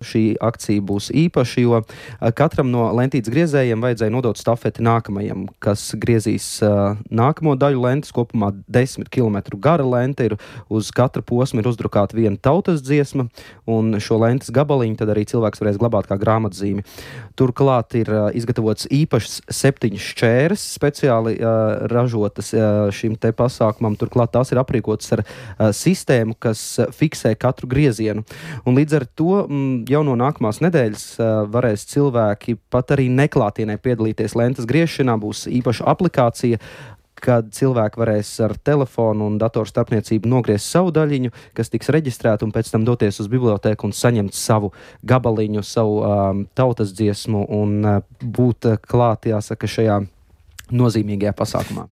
šī akcija būs īpaša, jo katram no lentītes griezējiem vajadzēja nodot stafeti nākamajam, kas griezīs nākamo daļu lentes. Kopumā 10 km gara lente ir, uz katra posma ir uzdrukāta viena tautas dziesma, un šo lentes gabaliņu tad arī cilvēks varēs glabāt kā grāmatzīmi. Turklāt ir izgatavots īpašs 7 šķēres, speciāli ražotas šim te pasākumam. Turklāt tās ir aprīkotas ar sistēmu, kas fiksē katru griezienu. Un līdz ar to jau no nākamās nedēļas varēs cilvēki pat arī neklātienē piedalīties lentes griešanā. Būs īpaša aplikācija, kad cilvēki varēs ar telefonu un datoru starpniecību nogriezt savu daļiņu, kas tiks reģistrēta, un pēc tam doties uz bibliotēku un saņemt savu gabaliņu, savu tautas dziesmu un būt klāt, jāsaka, šajā nozīmīgajā pasākumā.